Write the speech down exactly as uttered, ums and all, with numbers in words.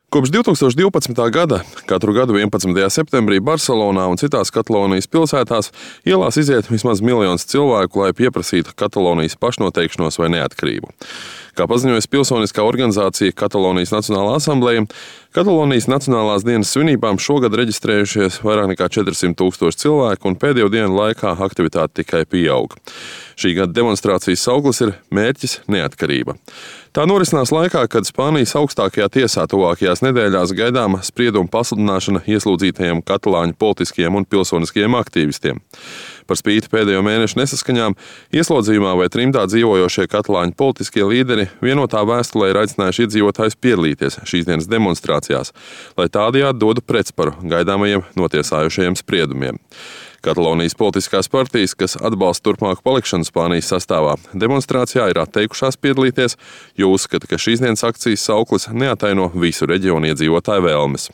Kopš divtūkstoš divpadsmitā gada katru gadu vienpadsmitajā septembrī Barselonā un citās Katalonijas pilsētās ielās iziet vismaz miljons cilvēku, lai pieprasītu Katalonijas pašnoteikšanos vai neatkarību. Kā paziņojas pilsoniskā organizācija Katalonijas Nacionālā asambleja, Katalonijas Nacionālās dienas svinībām šogad reģistrējušies vairāk nekā četrsimt tūkstoši cilvēku, un pēdējo dienu laikā aktivitāte tikai pieaug. Šī gada demonstrācijas sauklis ir mērķis neatkarība. Tā norisinās laikā, kad Spānijas augstākajā tiesā tuvākajās nedēļās gaidāma sprieduma pasludināšana ieslodzītajiem katalāņu politiskiem un pilsoniskajiem aktīvistiem. Par spīti pēdējo mēnešu nesaskaņām, ieslodzījumā vai trimdā dzīvojošie katalāņu politiskie līderi vienotā vēstulē ir aicinājuši iedzīvotājus piedalīties šīs dienas demonstrācijās, lai tādējādi dotu pretsparu gaidāmajiem notiesājušajiem spriedumiem. Katalonijas politiskās partijas, kas atbalsta turpmāku palikšanu Spānijas sastāvā, demonstrācijā ir atteikušās piedalīties, jo uzskata, ka šīs dienas akcijas sauklis neataino visu reģionu iedzīvotāju vēlmes.